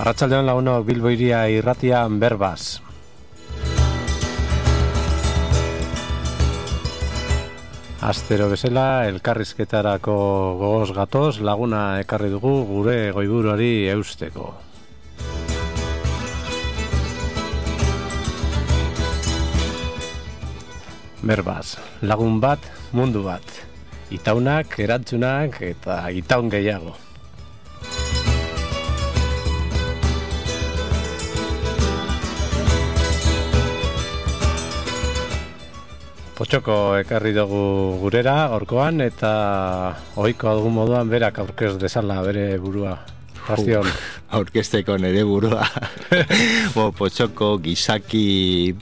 Arratsaldeon lagunok, Bilbo hiria irratian berbaz. Astero bezala, elkarrizketarako gogoz gatoz, laguna ekarri dugu gure goiburuari eusteko. Berbaz, lagun bat, mundu bat. Itaunak, erantzunak eta itaun gehiago. Potxoko ekarri dugu gurera gaurkoan eta ohikoa dugun moduan berak aurkez dezala bere burua. Bastion. Aurkezteko nere burua. Potxoko gizaki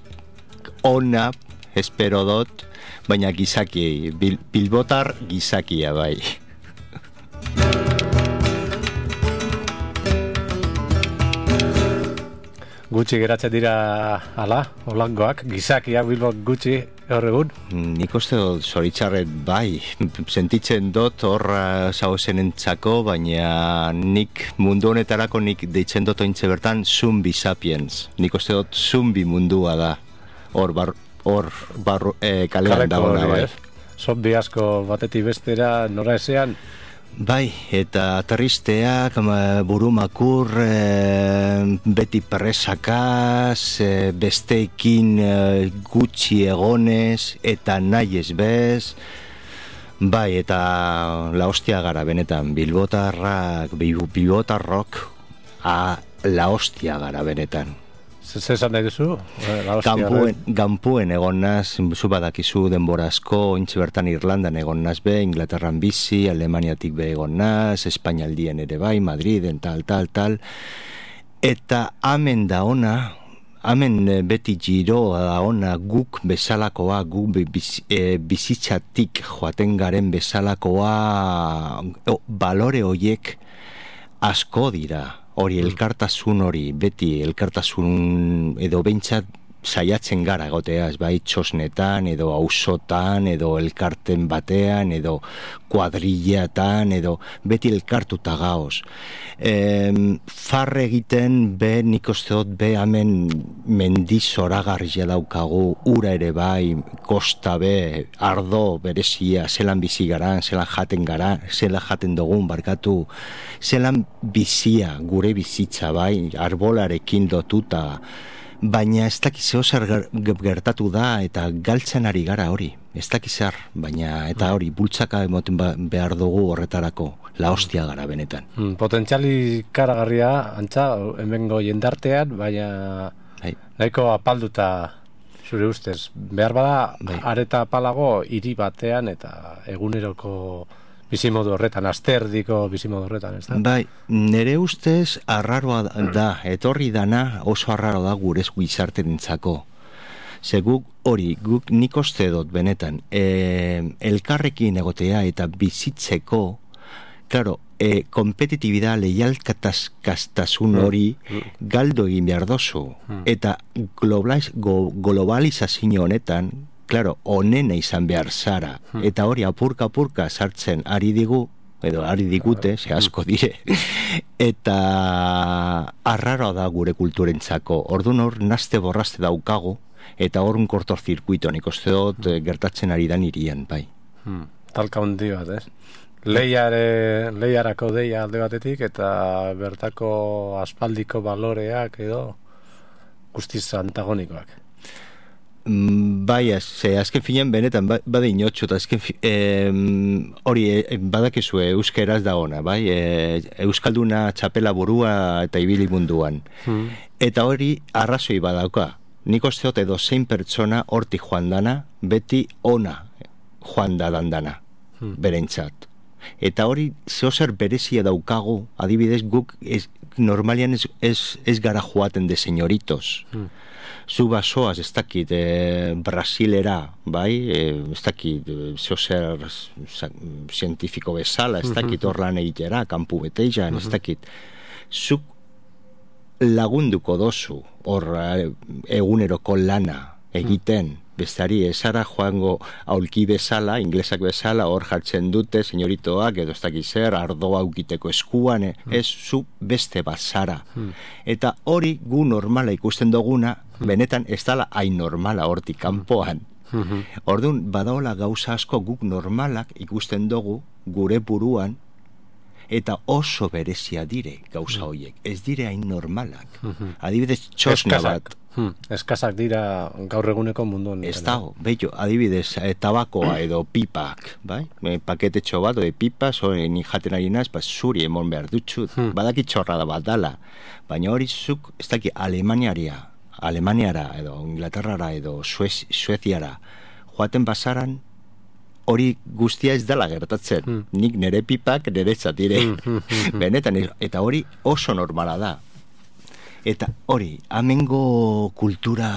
ona, espero dut, baina gizaki, bilbotar gizakia bai. Gutxi geratzen dira ala, holangoak, gizakiak Bilbok gutxi gaur egun? Nik uste dut zoritxarret bai, sentitzen dut hor zauzenentzako, baina nik mundu honetarako nik deitzen dut ointze bertan zumbi sapiens. Nik uste dut zumbi mundua da, hor kalean dagoena bai. Zombi asko batetik bestera nora ezean? Bai, eta tristeak, burumakur, beti presakaz, besteekin gutxi egonez, eta nahi ez bez. Bai, eta la hostia gara benetan, bilbotarrok, la hostia gara benetan. Zer esan nahi duzu? Gampuen egon naz, zu badakizu denbora asko, ointxe bertan Irlandan egon naz be, Inglaterran bizi, Alemaniatik be egon naz, Espainaldien ere bai, Madriden, tal. Eta amen da ona, amen beti giroa da ona, guk bezalakoa, guk bizitzatik joaten garen bezalakoa, balore hoiek asko dira. Hori elkartasun hori, beti elkartasun edo behintzat saiatzen gara egoteaz, bai txosnetan, edo auzotan, edo elkarten batean, edo kuadrillatan, edo beti elkartuta gaoz. Farre egiten, nik uste dut, hemen mendiz zoragarria daukagu, ura ere bai, kosta be, ardo berezia, zelan bizi garan, zelan jaten dugun, barkatu, zelan bizia, gure bizitza bai, arbolarekin lotuta, baina ez dakiz zer gertatu da eta galtzen ari gara hori, ez dakiz zer, baina eta hori bultzaka emoten behar dugu horretarako, la hostia gara benetan. Potentziali karagarria, antza, hemengo jendartean, baina nahiko apalduta zure ustez. Behar bada, areta apalago hiri batean eta eguneroko bizimodu horretan, asterdiko bizimodu horretan, ez da? Bai, nire ustez arraroa da, etorri dana oso arraro da gure gizarterentzako. Ze guk nik uste dut benetan, elkarrekin egotea eta bizitzeko, claro, kompetitibidad, leialtasun hori galdo egin behar dozu. Eta globalizazio honetan, claro, onena izan behar zara, eta hori apurka sartzen ari digute, ze asko dire, eta arraroa da gure kulturentzako. Orduan hor nazte borrazte daukagu, eta hor un kortozirkuito, nik uste dut gertatzen ari dan irian, bai. Talka hundi bat, ez? Lehiarako deia alde batetik, eta bertako aspaldiko baloreak edo guztiz antagonikoak. Bai, azken finean benetan bada inotxo, eta azken hori badakizue euskeraz da ona, bai? Euskalduna txapela burua eta ibili munduan. Eta hori arrazoi badauka. Nik uste dut edo zein pertsona hortik joan dana, beti ona joan da dandana, berentzat. Eta hori zehozer berezia daukagu, adibidez guk normalian ez gara joaten de señoritos. Zu basoaz, ez dakit, Brasilera, bai, ez dakit, zehozer zientifiko bezala, ez dakit hor lan egitera, kanpu beteian, ez dakit. Zuk lagunduko dozu hor eguneroko lana egiten, besteari esara joango aulki bezala, inglesak bezala, hor jartzen dute, senyoritoak, edo ez dakiz zer, ardoa aukiteko eskuan, ez zu beste bazara. Eta hori gu normala ikusten duguna, benetan ez dala hain normala hortik kanpoan. Orduan, badaola gauza asko guk normalak ikusten dugu gure buruan, eta oso berezia dire gauza horiek, ez dire hain normalak. Adibidez, txosna bat. Eskazak dira gaur eguneko mundu honetan. Ez dago, bello, adibidez, tabakoa edo pipak, bai? Paketetxo bat, ode pipa, ni jaten ari naz, zuri emon behar dutxut, badaki txorrada bat dala, baina hori zuk, ez daki, Alemaniara edo Inglaterrara edo Sueziara joaten basaran, hori guztia ez dela gertatzen. Nik nire pipak nire zatire. Benetan, eta hori oso normala da. Eta hori, amengo kultura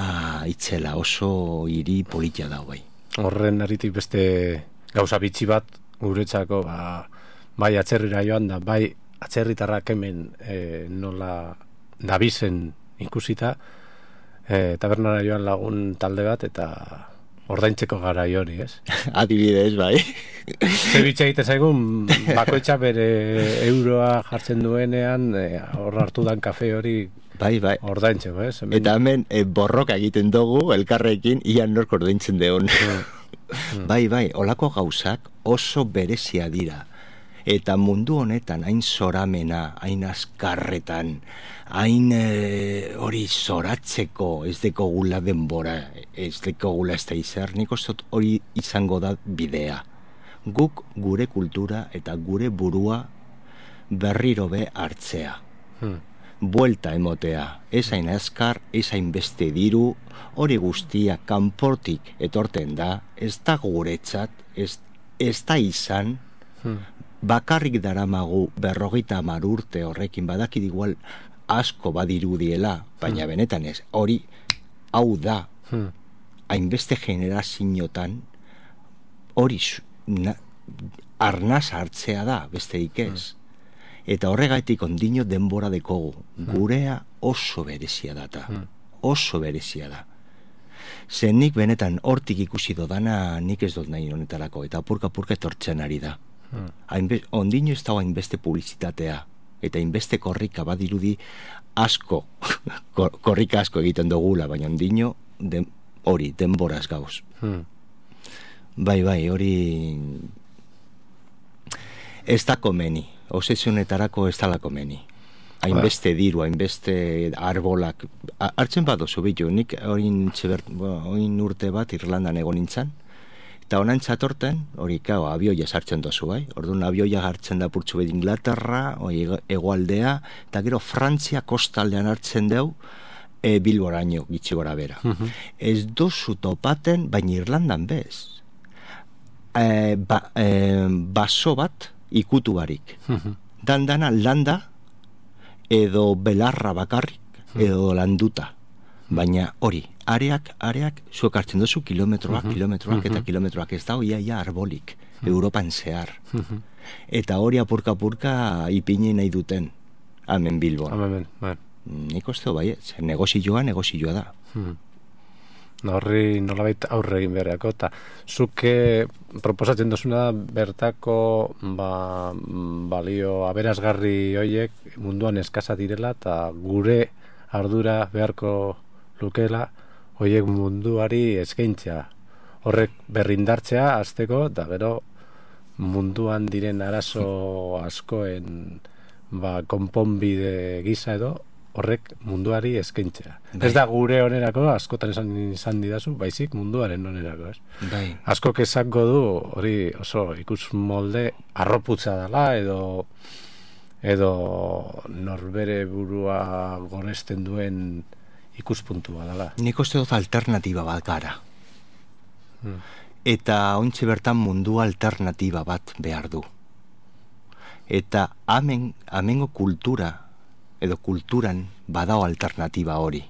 itzela oso hiri politia da, bai. Horren aritik beste gauza bitxi bat guretzako, bai atzerrira joan da, bai atzerritarrak hemen nola dabizen ikusita, tabernara joan lagun talde bat, eta ordaintzeko garai hori, ez? Adibidez, bai. Zebitxe egite zaigun, bakoitza bere euroa jartzen duenean, hor hartu dan kafe hori bai. Ordaintzeko, ez? Eta hemen borroka egiten dugu, elkarrekin, ian nork ordaintzen deon. Bai, olako gauzak oso berezia dira. Eta mundu honetan, hain zoramena, hain azkarretan, hain hori zoratzeko, ez deko gula denbora, ez deko gula ez da izar, nik ostot hori izango da bidea. Guk gure kultura eta gure burua berriro be hartzea. Buelta emotea, ez hain azkar, ez hain beste diru, hori guztia kanportik etorten da, ez da guretzat, ez da izan, bakarrik daramagu 50 urte horrekin, badakit igual asko badirudiela, baina benetan ez, hori hau da, hainbeste generaziotan, hori arnaz hartzea da, besterik ez. Eta horregatik ondino denbora dekogu. Gurea oso berezia data. Oso berezia da. Zen nik benetan hortik ikusi dodana nik ez dut nahi honetarako. Eta apurka etortzen ari da. Ondino ez dago hainbeste publizitatea. Eta hainbeste korrika badirudi asko. Korrika asko egiten dugula. Baina ondino hori denboraz gauz. Bai, hori ez da komeni. Osesionetarako ez dala komeni. Hainbeste diru, hainbeste arbolak. Hartzen badozu bitu, nik oin urte bat Irlandan egon nintzen, eta honan txatorten, hori abioia sartzen dozu, bai? Orduan abioia hartzen da purtsu bet Inglaterra, hegoaldea, eta gero Frantzia kostaldean hartzen deu, Bilboraino gitxi gora bera. Ez dozu topaten, baina Irlandan bez. Baso bat, ikutu barik. Dana landa edo belarra bakarrik edo landuta. Baina hori, areak zuek hartzen dozu kilometroak eta kilometroak, ez da hoia arbolik Europan zehar. Eta hori apurka ipini nahi duten hemen Bilbon. Nik uste bai, negozioa da. Horri nolabait aurre egin beharako, eta zuke proposatzen dozuna bertako balio aberasgarri hoiek munduan eskasa direla, eta gure ardura beharko lukela hoiek munduari eskaintzea. Horrek berrindartzea azteko, eta gero munduan diren arazo askoen konponbide gisa edo, horrek munduari eskaintzea. Ez da gure onerako, askotan izan didazu, baizik munduaren onerako, ez? Bai. Askok esango du, hori oso ikus molde arroputza dela, edo norbere burua goresten duen ikuspuntua dela. Nik uste dut alternatiba bat gara. Eta ontsi bertan mundu alternatiba bat behar du. Eta amengo kultura, edo kulturan badao alternatiba hori.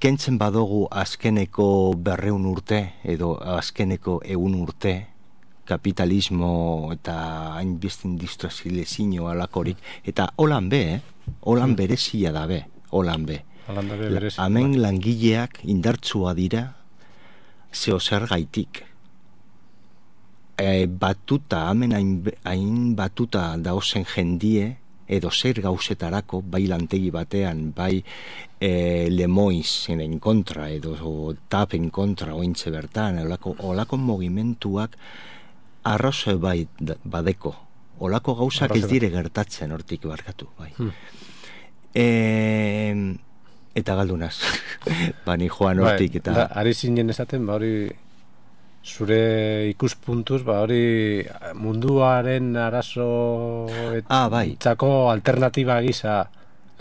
Kentzen badogu azkeneko 200 urte, edo azkeneko 100 urte, kapitalismo eta hainbeste industrializazio alakorik, eta holan berezia da be, holan be. Hemen langileak indartsua dira, zeo zer gaitik. Batuta, hemen hain batuta dauzen jendie, edo zer gauzetarako, bai lantegi batean, bai Lemoiz en kontra, edo TAP en kontra, ointxe bertan, olako mogimentuak arroze bai badeko. Olako gauzak ez dire gertatzen hortik barkatu, bai. Eta galdunaz, bani joan hortik eta... Ari zinen esaten, hori zure ikuspuntuz, hori munduaren arazo txako alternatiba gisa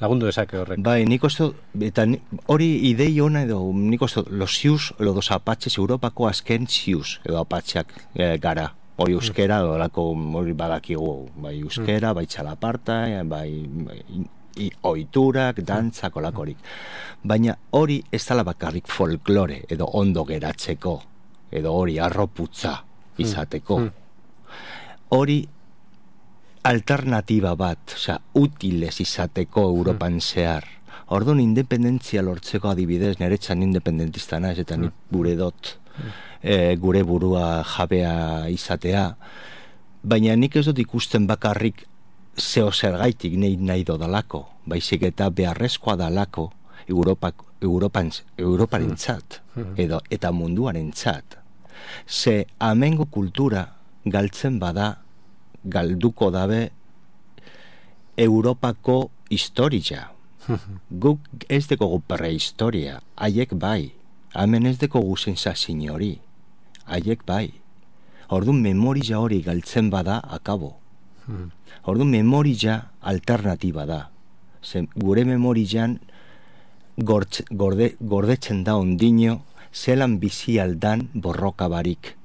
lagundu dezake horrek. Bai, nik uste, eta hori idei ona edo, nik uste, los zius, los apatxes, Europako azken zius, edo apatxeak gara. Hori euskera, hori badakigu, bai euskera, bai txalaparta, bai oiturak, dantzak, olakorik. Baina hori ez dala bakarrik folklore, edo ondo geratzeko, edo hori arroputza izateko. Hori alternatiba bat, utiles izateko Europan zehar. Orduan independentzia lortzeko adibidez, niretzan independentista naiz eta nik gure dot, gure burua jabea izatea, baina nik ez dut ikusten bakarrik zeo zergaitik nahi dodalako, baizik eta beharrezkoa dalako Europaren txat, eta munduaren txat. Ze amengo kultura galtzen bada, galduko dabe Europako historia. Guk ez dekogu prehistoria, haiek bai. Hemen ez dekogu sensazin hori, haiek bai. Orduan memoria hori galtzen bada, akabo. Orduan memoria alternatiba da. Gure memorian gordetzen da ondino zelan bizi aldan borroka barik.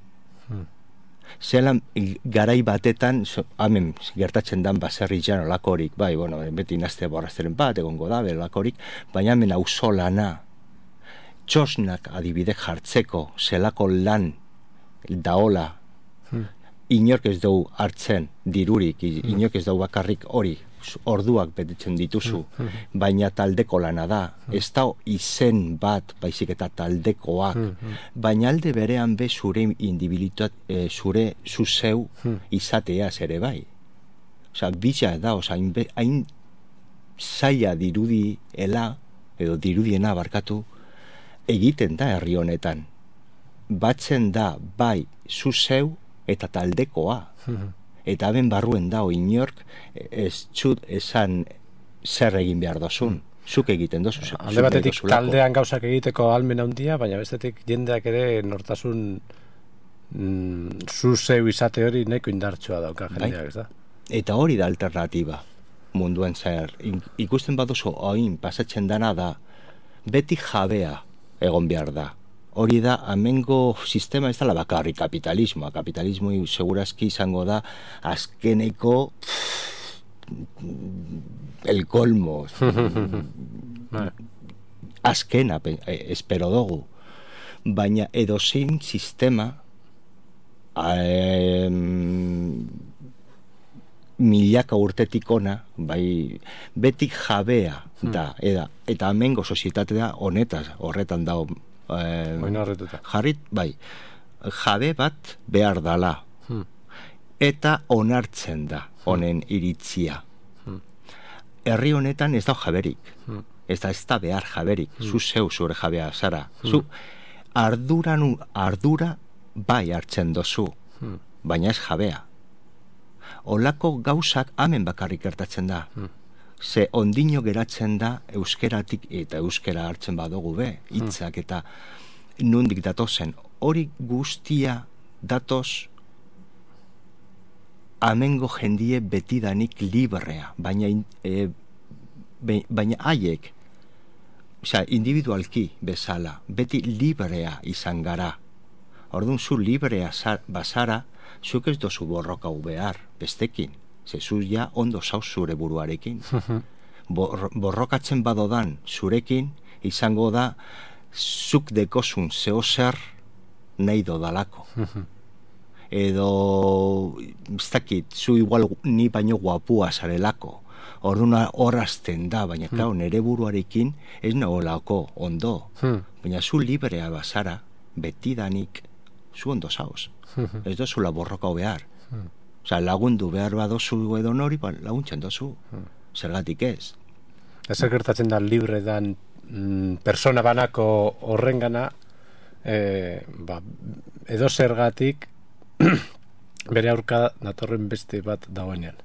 Zelan garai batetan, hemen gertatzen dan baserri jan olakorik, bai, bueno, beti nazte borrazteren bat, egongo da, olakorik, baina hemen auzolana, txosnak adibide jartzeko, zelako lan daola, inork ez dugu hartzen dirurik, inork ez dugu bakarrik hori, orduak betetzen dituzu, baina taldeko lana da, ez da izen bat, baizik eta taldekoak, baina alde berean be zure indibilitat, zure zuzeu izateaz ere bai. Osa, bitxa da, hain zaila dirudiela, edo dirudiena barkatu, egiten da herri honetan. Batzen da bai zuzeu eta taldekoa. Eta ben barruen dao inork ez txut esan zer egin behar dozun. Zuk egiten dozu. Alde batetik taldean gauzak egiteko almen handia, baina bestetik jendeak ere nortasun zuzeu izate hori neko indartsua dauka jendeak, ez da? Eta hori da alternatiba munduen zer. Ikusten baduzu oin pasatzen dana da, beti jabea egon behar da. Hori da, amengo sistema ez da la bakarri kapitalismoa. Kapitalismo segurazki izango da azkeneko el colmo. Azkena, espero dugu. Baina edozein sistema milaka urtetik ona, bai, betik jabea da, eta amengo sozietatea horretan da jarrit, bai, jabe bat behar dala eta onartzen da honen iritzia. Herri honetan ez da jaberik, ez da behar jaberik, zu zeu zure jabea zara, zu ardura bai hartzen dozu, baina ez jabea. Olako gauzak hemen bakarrik gertatzen da. Ze ondino geratzen da euskeratik eta euskera hartzen badugu be, hitzak eta nundik datozen. Hori guztia datoz amengo jendie betidanik librea, baina haiek, individualki bezala, beti librea izan gara. Orduan zu librea bazara, zuk ez dozu borroka behar, bestekin. Zezu ja ondo zauz zure buruarekin. Borrokatzen badodan zurekin, izango da zuk dekozun zeo zer nahi dodalako. Edo, ez dakit, zu igual ni baino guapua zarelako. Orduan horrazten da, baina klar, nere buruarekin ez nagolako ondo. Baina zu librea bazara, betidanik zu ondo zauz. Ez dozula borrokau behar. Osa, lagundu behar badozu edo nori, laguntzen dozu. Zergatik ez. Ez gertatzen da libre dan persona banako horrengana, edo zergatik bere aurka datorren beste bat dagoenean.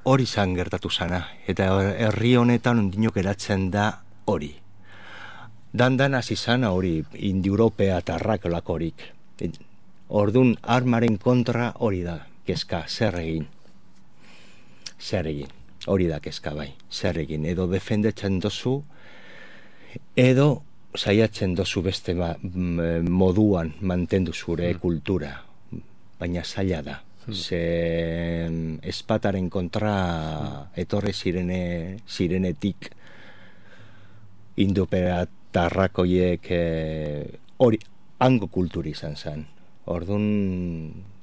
Hori zan gertatu zana, eta herri honetan ondinok eratzen da hori. Dan hasi zana hori, Indi-Europea eta arrakolakorik. Ordun armaren kontra hori da, kezka, zer egin. Hori da kezka bai, zer egin. Edo defendetzen dozu, edo saiatzen dozu beste moduan mantendu zure kultura. Baina zaila da. Ze espataren kontra etorre zirenetik Indo-Europeratarrakoiek hori hango kulturi izan zen. Orduan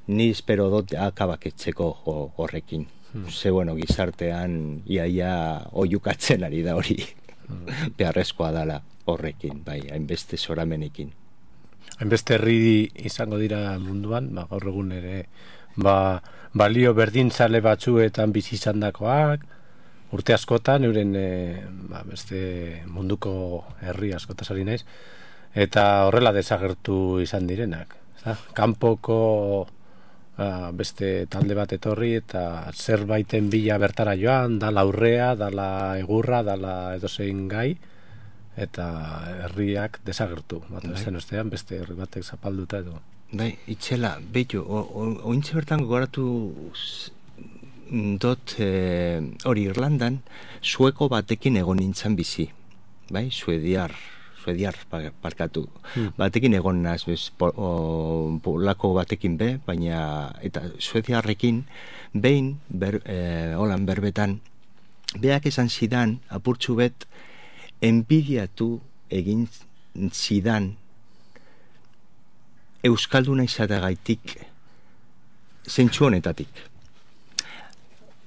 ni espero dut akabaketzeko horrekin. Ze bueno, gizartean iaia oiukatzen ari da hori. Beharrezkoa dala horrekin, bai, hainbeste zoramenekin. Hainbeste herri izango dira munduan, gaur egun ere balio berdintzale batzuetan bizi izandakoak, urte askotan euren beste munduko herri askotaz ari naiz, eta horrela desagertu izan direnak. Kanpoko beste talde bat etorri eta zerbaiten bila bertara joan, dala aurrea, dala egurra, dala edozein gai, eta herriak desagertu. Zen ostean beste herri batek zapalduta edo. Bai, itxela, behitu, ointxe bertan gogoratu dot hori Irlandan sueko batekin egon nintzen bizi. Bai, suediar parkatu. Batekin egon naz, polako batekin be, baina, eta suediarrekin, behin, holan berbetan, beak esan zidan, apurtxu bet, enbidiatu egin zidan euskalduna izatagaitik zentsu honetatik.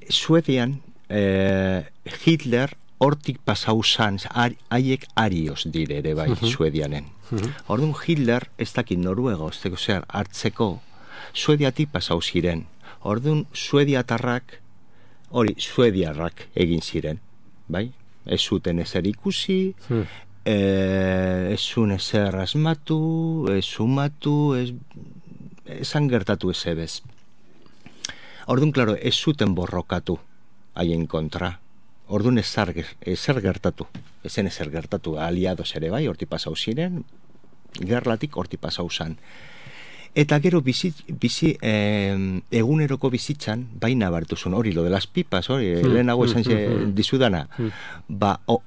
Suedian Hitler hortik pasau zan, haiek arioz dire ere bai, Suedianen. Orduan Hitler ez dakit Noruega osteko zer hartzeko Suediatik pasau ziren. Orduan Suediatarrak Suediarrak egin ziren, bai? Ez zuten ezer ikusi, ez zuen ezer asmatu, ez sumatu, esan gertatu ez ebez. Orduan, klaro, ez zuten borrokatu haien kontra. Orduan ezer gertatu. Ezen ezer gertatu, aliados ere bai, horti pasau ziren, gerlatik horti pasau zan. Eta gero eguneroko bizitzan, baina bartuzun, hori, lo de las pipas, hori, lehenago esan dizudana,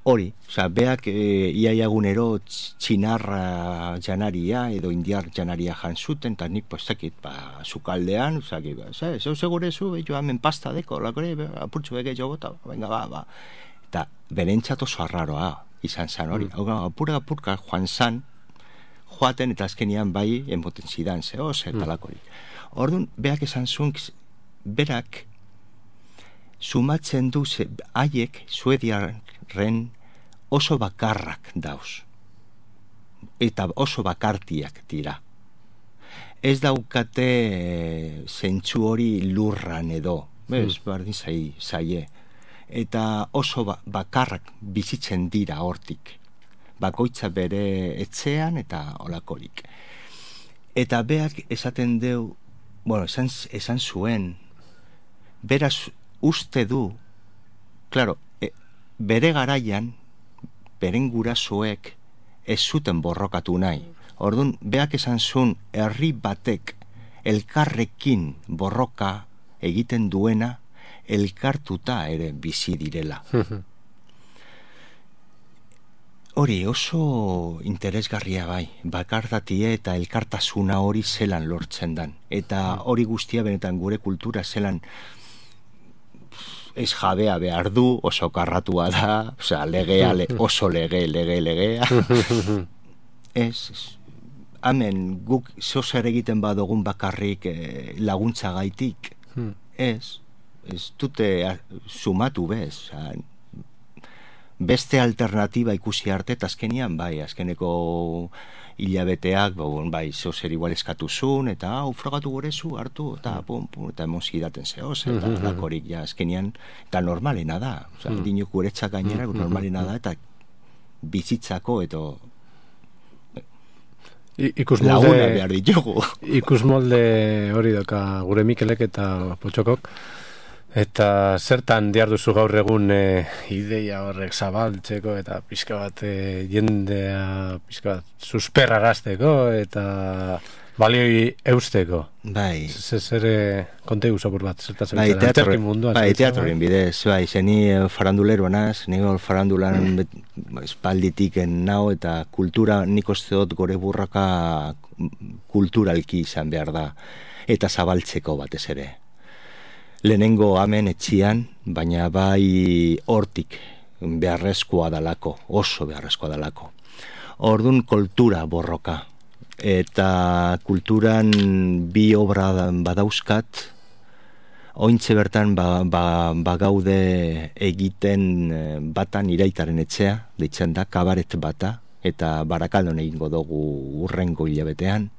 hori, beak iaiagunero txinarra janaria, edo indiar janaria jantzuten, eta nik, zukaldean, zeu segurezu, joan men pasta deko, lakore, apurtzu beke jo bota, venga, eta berentzat oso arraroa izan zan, hori, apurka joan zan, joaten eta azkenian bai emoten zidan, eta lakorik. Orduan, beak esan zuen, berak sumatzen du, haiek suediarren oso bakarrak dauz. Eta oso bakartiak dira. Ez daukate zentsu hori lurran edo, bardin zaie. Eta oso bakarrak bizitzen dira hortik. Bakoitza bere etxean eta olakorik. Eta beak esaten deu, esan zuen, beraz uste du, klaro, bere garaian, beren gurasoek ez zuten borrokatu nahi. Orduan, beak esan zuen, herri batek elkarrekin borroka egiten duena, elkartuta ere bizi direla. Hori oso interesgarria bai, bakardatie eta elkartasuna hori zelan lortzen dan. Eta hori guztia benetan gure kultura zelan ez jabea behar du, oso karratua da, legea, oso legea. Hemen guk zozer egiten badogun bakarrik laguntza gaitik, ez dute sumatu bez, beste alternatiba ikusi arte, eta azkenian, bai, azkeneko hilabeteak, bai, zozer igual eskatuzun, eta frogatu gorezu, hartu, eta eta emozi daten zehoz, eta lakorik, ja, azkenian, eta normalena da, dinok guretzak gainera, normalena da, eta bizitzako, eta laguna behar ditugu. Ikusmolde hori doka gure Mikelek eta Potxokok, eta zertan diarduzu gaur egun ideia horrek zabaltzeko eta pixka bat jendea pixka bat susperrarazteko eta balioi eusteko. Bai. Zer kontegu zapur bat, zertaz bai, teatroren bidez, bai, zeni faranduleroa naz, nire farandulan espalditik nao eta kultura nik uste dut gore burraka kulturalki izan behar da, eta zabaltzeko batez ere. Lehenengo hemen etxian, baina bai hortik beharrezkoa dalako, oso beharrezkoa dalako. Ordun kultura borroka. Eta kulturan bi obra badauzkat, ointxe bertan bagaude egiten batan iraitaren etxea, deitzen da, kabaret bata, eta Barakaldon egingo dugu urrengo hilabetean.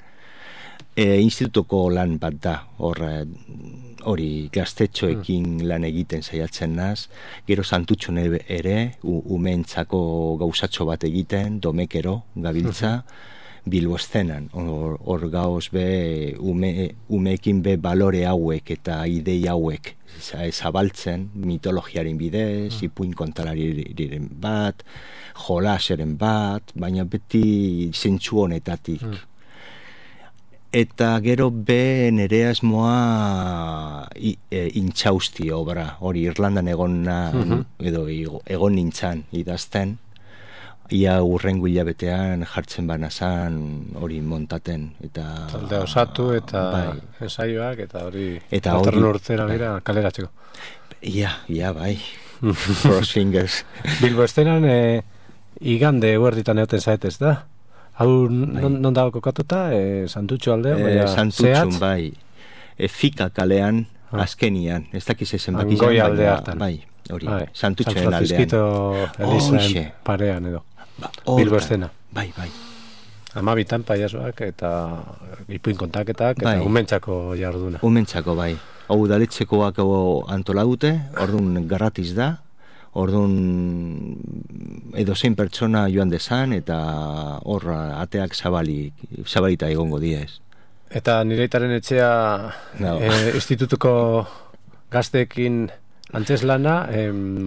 Institutuko lan bat da, hori gaztetxoekin lan egiten saiatzen naz, gero Santutxon ere, umeentzako gauzatxo bat egiten, domekero gabiltza, Bilbo estenan, hor gauz be umeekin be balore hauek eta idei hauek zabaltzen, mitologiaren bidez, ipuin kontalariren bat, jolaseren bat, baina beti zentsu honetatik. Eta gero be nere asmoa intxausti obra, hori Irlandan edo egon nintzan idazten, ia urrengo hilabetean jartzen banazan hori montaten eta taldea osatu eta ensaioak eta hori datorren urtera bera kaleratzeko. Ja, bai. Cross fingers. Bilbo estenan igande huerditan egoten zaetez da? Hau non dago kokatuta? Santutxo aldean? Santutxon, bai. Fika kalean, azkenian. Ez dakiz ezen bakizan. Goi alde hartan. Bai, hori. Santutxoen aldean. San Francisquito Elizaen parean edo. Bilbo estena. Bai. 12 paiasoak eta ipuin kontaketak eta umentzako jarduna. Umentzako, bai. Hau udaletxekoak antola dute, orduan garratiz da, orduan edozein pertsona joan dezan eta hor ateak zabalita egongo diez. Eta nireitaren etxea institutuko gazteekin antzeslana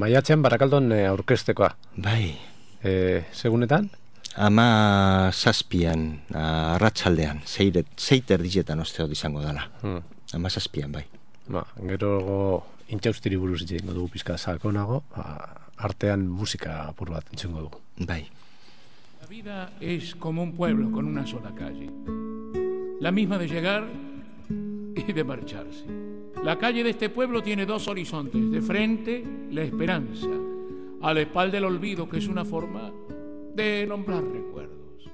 maiatzean Barakaldon aurkeztekoa. Bai. Segunetan? 17an, arratsaldean, 6 erdietan osteot izango dela. 17an, bai. Gero intxaustiri buruz itxengo dugu pizka sakonago, artean musika apur bat entzengo dugu. Bai. La vida es como un pueblo con una sola calle. La misma de llegar y de marcharse. La calle de este pueblo tiene 2 horizontes. De frente, la esperanza. A la espalda el olvido, que es una forma de nombrar recuerdos.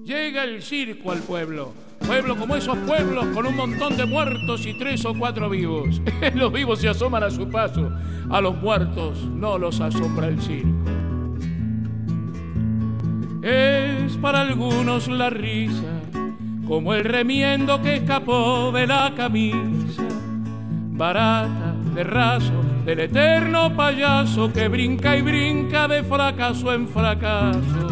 Llega el circo al pueblo. Pueblo como esos pueblos con un montón de muertos y 3 o 4 vivos. Los vivos se asoman a su paso. A los muertos no los asombra el circo. Es para algunos la risa, como el remiendo que escapó de la camisa, barata, de raso, del eterno payaso que brinca y brinca de fracaso en fracaso.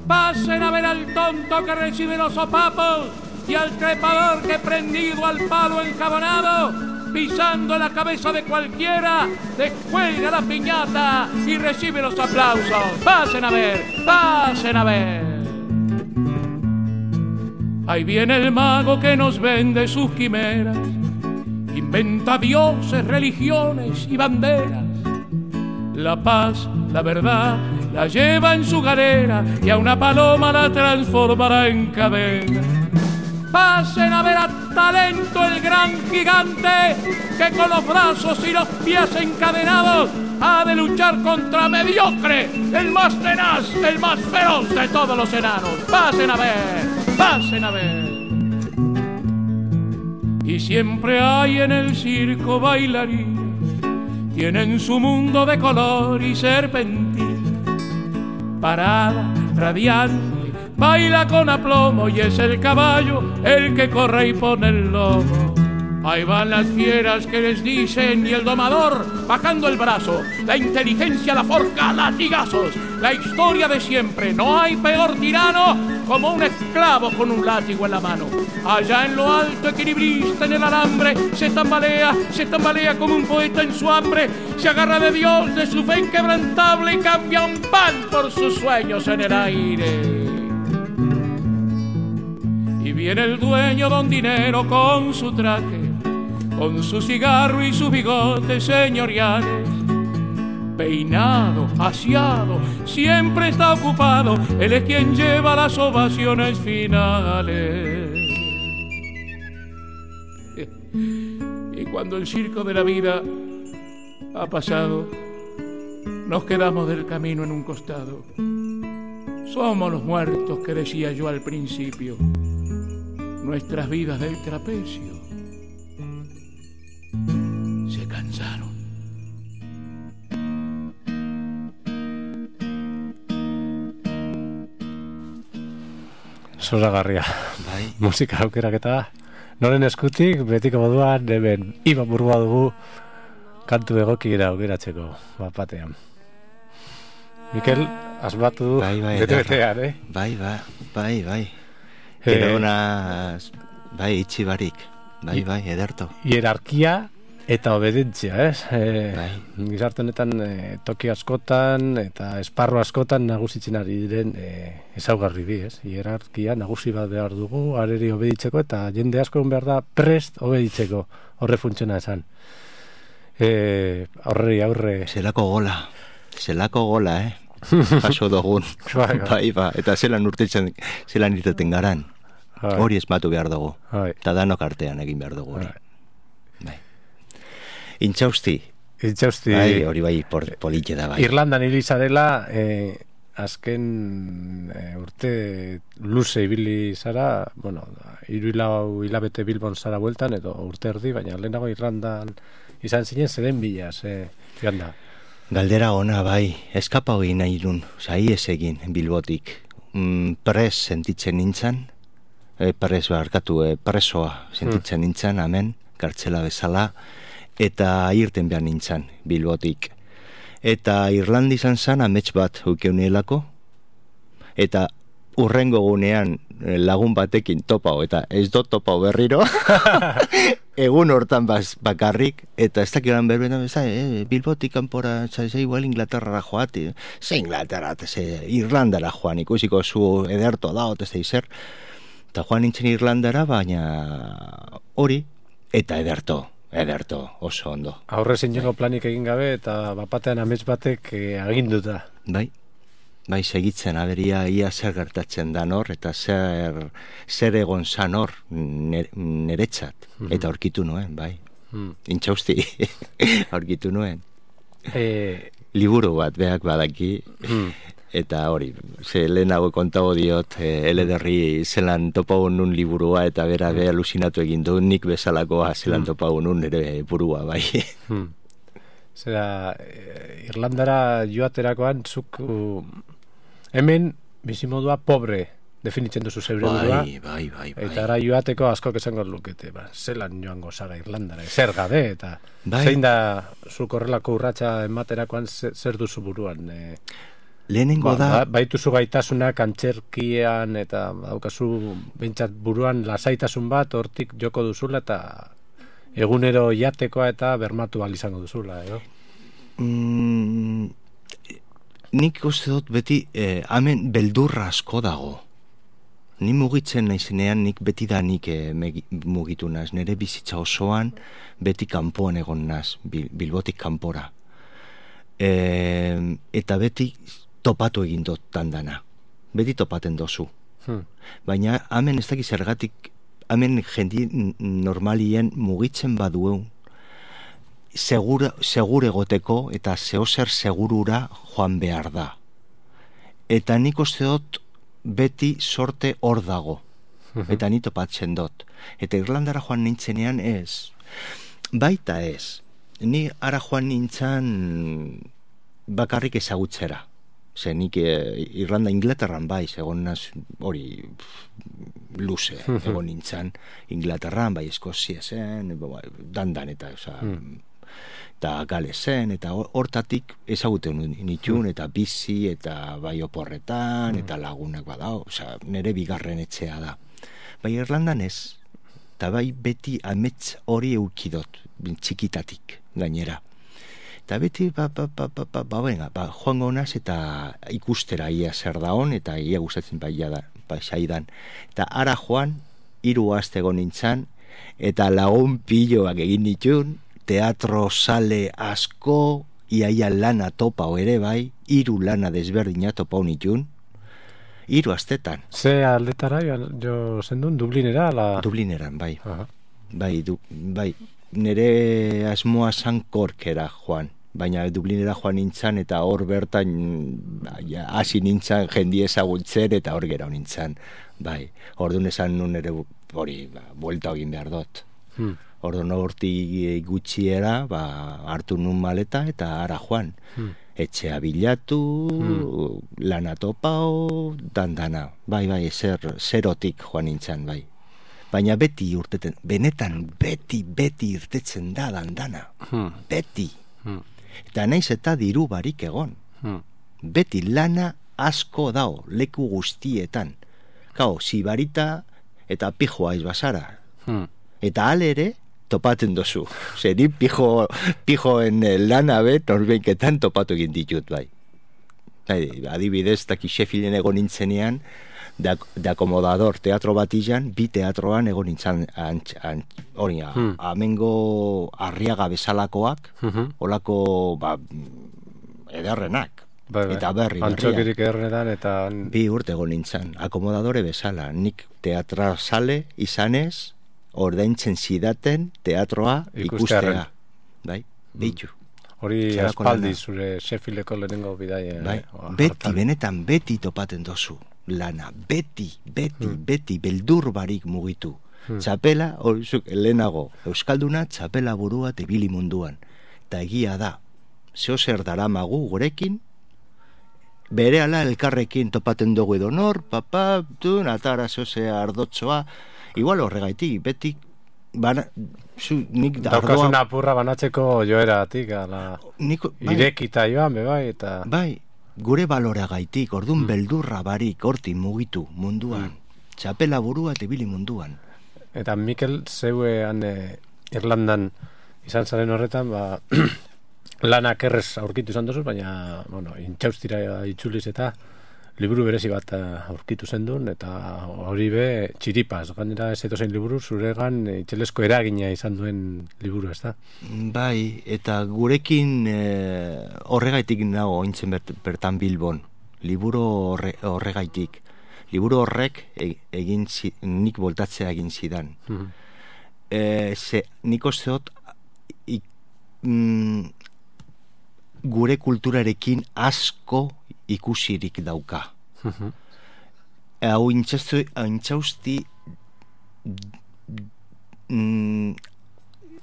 Pasen a ver al tonto que recibe los sopapos y al trepador que prendido al palo enjabonado, pisando la cabeza de cualquiera, descuelga la piñata y recibe los aplausos. Pasen a ver, pasen a ver. Ahí viene el mago que nos vende sus quimeras, inventa dioses, religiones y banderas. La paz, la verdad, la lleva en su galera y a una paloma la transformará en cadena. Pasen a ver a Talento, el gran gigante, que con los brazos y los pies encadenados ha de luchar contra Mediocre, el más tenaz, el más feroz de todos los enanos. Pasen a ver, pasen a ver. Y siempre hay en el circo bailarinas tienen su mundo de color y serpentina. Parada, radiante, baila con aplomo y es el caballo el que corre y pone el lomo. Ahí van las fieras que les dicen y el domador bajando el brazo. La inteligencia la forja a latigazos. La historia de siempre. No hay peor tirano como un esclavo con un látigo en la mano. Allá en lo alto, equilibrista en el alambre, se tambalea como un poeta en su hambre. Se agarra de Dios, de su fe inquebrantable y cambia un pan por sus sueños en el aire. Y viene el dueño don Dinero con su traje, con su cigarro y sus bigotes señoriales. Peinado, aseado, siempre está ocupado, él es quien lleva las ovaciones finales. Y cuando el circo de la vida ha pasado, nos quedamos del camino en un costado. Somos los muertos que decía yo al principio, nuestras vidas del trapecio se cansaron. Zoragarria. Bai. Musika aukeraketa noren eskutik betiko moduan hemen Iban Burua dugu kantu egokiera aukeratzeko batean. Mikel, asmatu du bete-betean, Bai. Gero honaz, itxi barik. Bai, ederto. Hierarkia eta obedentzia, ez? Gizarte honetan toki askotan eta esparru askotan nagusitzen ari diren ezaugarri bi, ez? Hierarkia nagusi bat behar dugu, areri obeditzeko, eta jende asko behar da prest obeditzeko, horre funtsiona esan. Aurre. Zelako gola, Paso dugun. Bai, eta zelan irteten garan. Hori esmatu behar dugu. Eta danok artean egin behar dugu hori. Intxausti. Hori bai, politxe da bai. Irlandan hilizarela, azken urte luze ibili zara, bueno, 3 hilabete Bilbon zara bueltan, edo urte erdi, baina lehenago Irlandan izan zinen zeden bilaz, ganda. Galdera ona bai, eskapa hori nahi dun, ez egin Bilbotik. Pres sentitzen nintzen, presoa sentitzen nintzen, amen, kartzela bezala, eta irten behar nintzen Bilbotik. Eta Irlanda izan zen amets bat ukeunielako, eta urrengo gunean lagun batekin topau, eta ez dut topau berriro, egun hortan bakarrik, eta ez dakiran berbetan, Bilbotik kanpora, igual Inglaterra joati, Inglaterra, Irlandara joan, ikusiko zu ederto da, ez da izer, eta joan nintzen Irlandara, baina hori, eta ederto, oso ondo. Aurre zineko planik egin gabe, eta bapatean amets batek aginduta. Bai, segitzen, aberia ia zer gertatzen da nor, eta zer egon zan hor niretzat. Eta aurkitu nuen, bai. Intxausti, aurkitu nuen. Liburu bat beak badaki, eta hori, lehenago kontago diot, elederri zelan topago nun liburua, eta bera alusinatu egin du, nik bezalakoa zelan topago nun ere burua, bai. Zera, Irlandara joaterakoan, zuk hemen bizimodua pobre definitzen duzu zeure burua. Bai. Eta ara joateko askok esango lukete, zelan joango zara Irlandara, zer gabe, eta zein da zuk horrelako urratsa ematerakoan zer duzu buruan. Lehenengo da... Baituzu gaitasunak antzerkian, eta daukazu bentsat buruan lasaitasun bat, hortik joko duzula, eta egunero jatekoa eta bermatu izango duzula, edo? Nik uste dut beti, hemen beldurra asko dago. Ni mugitzen naizenean, nik beti da nik mugitu naz. Nire bizitza osoan beti kanpoan egon naz, Bilbotik kanpora. Eta beti topatu egin dut tandana. Beti topaten dozu. Baina hemen ez dakiz zergatik, hemen jendi normalien mugitzen baduen, segur egoteko eta zehozer segurura joan behar da. Eta nik uste dut beti sorte hor dago. Eta ni topatzen dut. Eta Irlandara joan nintzenean ez. Baita ez. Ni ara joan nintzen bakarrik ezagutzera. Ze nik Irlanda, Inglaterran bai, egon naz, hori luze, egon nintzen Inglaterran, bai Eskozia zen, dandan eta, eta Galesen, eta hortatik ezaguten nituen, eta bizi, eta bai oporretan, eta lagunak badao, nire bigarren etxea da. Bai Irlandan ez, eta bai beti amets hori eukidot, txikitatik gainera. Eta beti, joango naz eta ikustera ia zer daon, eta ia gustatzen saidan. Eta ara joan, 3 aste egon nintzen, eta lagun piloak egin nituen, teatro sale asko, iaia lana topau ere bai, 3 lana desberdina topau nituen, 3 astetan. Ze aldetara jo zendun, Dublinera? Dublineran, bai. Bai, nire asmoa zan Korkera joan, baina Dublinera joan nintzen eta hor bertan hasi nintzen jendi ezagutzen eta hor gero nintzen, bai. Orduan esan nun ere hori, buelta egin behar dut. Orduan hortik gutxiera, hartu nun maleta eta ara joan. Etxea bilatu, lana topau, dandana. Bai, zerotik joan nintzen, bai. Baina beti urteten, benetan beti irtetzen da dandana. Beti. Eta naiz eta diru barik egon. Beti lana asko dao, leku guztietan. Kao, zibarita eta pijoa izbazara. Eta alere, topaten dozu. Zeri pijoen lana norbeiketan topatu egin ditut, bai. Adibidez, taki Sheffielden egon nintzenean, de acomodador teatro batilan, 2 teatroan egon nintzen hori, amengo Arriaga bezalakoak, olako ederrenak, eta berria. Antxokirik ederrenetan, eta 2 urte egon nintzen, akomodadore bezala, nik teatra sale izanez, ordaintzen zidaten teatroa ikustea. Bai, behitu. Hori aspaldi zure Sheffieldeko lehenengo bidaia. Bai, beti, benetan beti topaten dozu lana, beti, beldur barik mugitu. Txapela, horizuk, lehenago, Euskalduna txapela burua tebili munduan. Eta egia da, zeo zer daramagu gurekin, bere ala elkarrekin topaten dugu edo nor, atara zeo ze ardotzoa, igual horregaitik, beti, nik daukasun apurra banatzeko joeratik, irekita joan, bai, eta... Bai, gure baloragaitik, ordun beldurra barik, horti mugitu munduan, txapela burua tebili munduan. Eta Mikel, zeuean Irlandan izan zaren horretan, lanak errez aurkitu izan dozuz, baina, intxaustira itzuliz eta liburu berezi bat aurkitu zendun, eta hori be txiripaz, gainera ez etozein liburu, zuregan itxelesko eragina izan duen liburu, ez da? Bai, eta gurekin horregaitik nago ointzen bertan Bilbon, liburu horregaitik. Liburu horrek nik voltatzea egin zidan. Nik osteot gure kulturarekin asko ikusirik dauka. Hau intxausti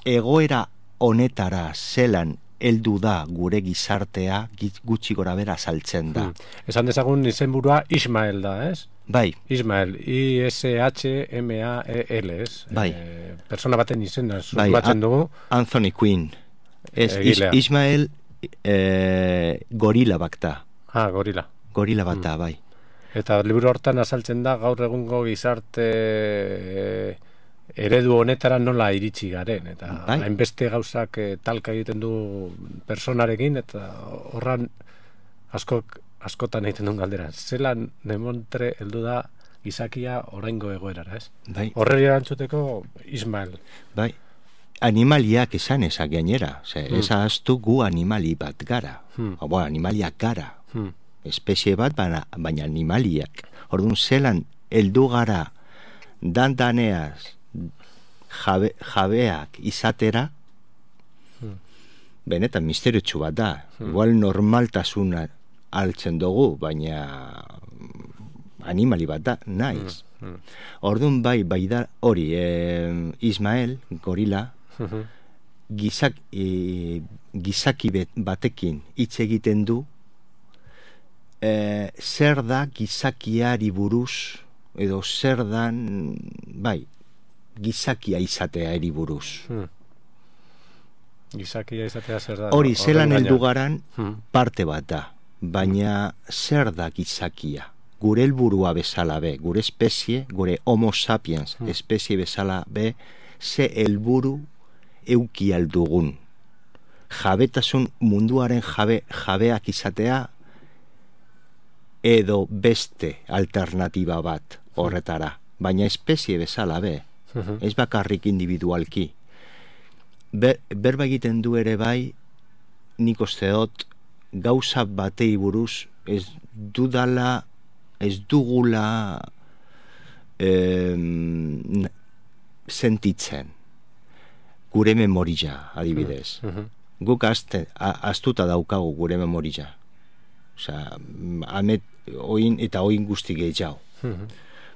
egoera honetara zelan heldu da gure gizartea gutxi gora bera saltzen da. Esan dezagun izenburua Ismael da, ez? Bai. Ismael, I-S-H-M-A-E-L, ez? Bai. Persona baten izena batzen dugu. Anthony Quinn. Ismael gorila bakta. Gorila. Gorila bata, bai. Eta liburu hortan azaltzen da gaur egungo gizarte eredu honetara nola iritsi garen, eta hainbeste gauzak talka egiten du personarekin, eta horran askotan egiten duen galdera. Zelan demontre heldu da gizakia oraingo egoerara, ez? Bai. Horreri erantzuteko Ismael. Bai. Animaliak esan ezak gainera. Ez ahaztu gu animali bat gara. Animaliak gara. Espezie bat, baina animaliak. Orduan zelan heldu gara dandaneaz jabeak izatera, benetan misteriotsu bat da. Igual normaltasuna altzen dugu, baina animali bat da, naiz. Orduan bai da hori, Ismael, gorila, gizaki batekin hitz egiten du, zer da gizakiari buruz, edo zer dan, bai, gizakia izatea eri buruz. Gizakia izatea zer da? Hori, zelan heldu garan parte bat da, baina zer da gizakia? Gure helburua bezala be, gure espezie, gure homo sapiens espezie bezala be, ze helburu euki aldugun. Jabetasun munduaren jabeak izatea, edo beste alternatiba bat horretara. Baina espezie bezala be, ez bakarrik individualki. Berba egiten du ere bai, nik usteot gauza batei buruz ez dugula sentitzen. Gure memoria, adibidez. Guk astuta daukagu gure memoria. Osea, oin guzti gehiago.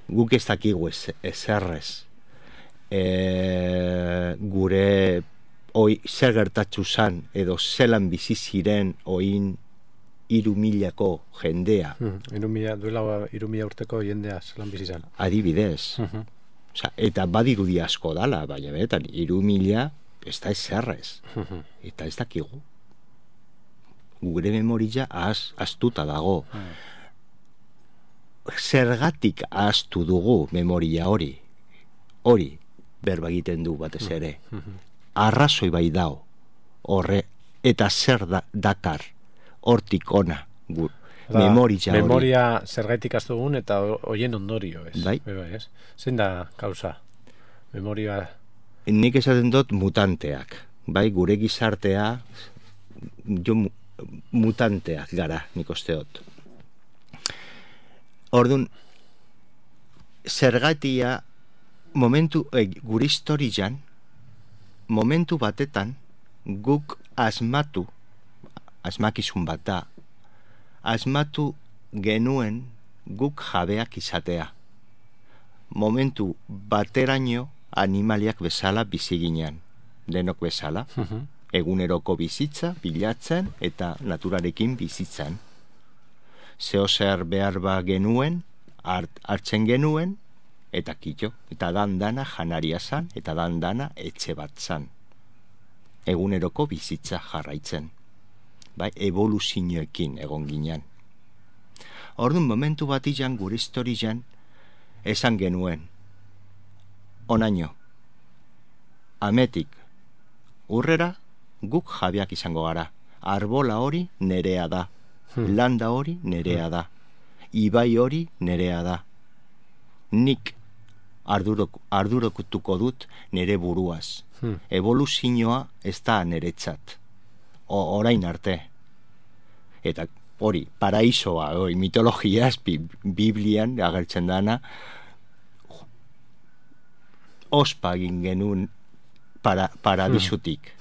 Guk ez dakigu ezerrez. Gure zer gertatzu zan, edo zelan bizi ziren oin 3.000ko jendea. Duela 3.000 urteko jendea zelan bizi zan. Adibidez. Eta badirudi asko dala, baina benetan 3.000 ez da ezerrez. Eta ez dakigu. Gure memoria astuta dago. Zergatik astu dugu memoria hori? Hori berba egiten du batez ere. Arrazoi bai dao. Eta zer dakar hortik ona memoria zergaitik astu dugun eta hoien ondorio, ez? Bai. Zein da kausa? Memoria... Nik esaten dut mutanteak. Bai, gure gizartea mutanteak gara, nik usteot. Orduan, zergatia gure historian, momentu batetan guk asmakizun bat da, asmatu genuen guk jabeak izatea. Momentu bateraino animaliak bezala bizi ginen, denok bezala, eguneroko bizitza, bilatzen eta naturarekin bizitzen. Zeo zer behar ba genuen, hartzen genuen, eta kitxo, eta dandana janaria zan, eta dandana etxe bat zan. Eguneroko bizitza jarraitzen. Bai, evoluzioekin egon ginen. Orduan, momentu bat izan, gure historian, esan genuen, onaino, ametik, urrera, guk jabeak izango gara. Arbola hori nerea da, landa hori nerea da, ibai hori nerea da. Nik ardurokutuko dut nere buruaz. Evoluzioa ez da neretzat. Orain arte. Eta hori, paraisoa, mitologiaz, Biblian agertzen dana, ospa egin genuen paradisutik.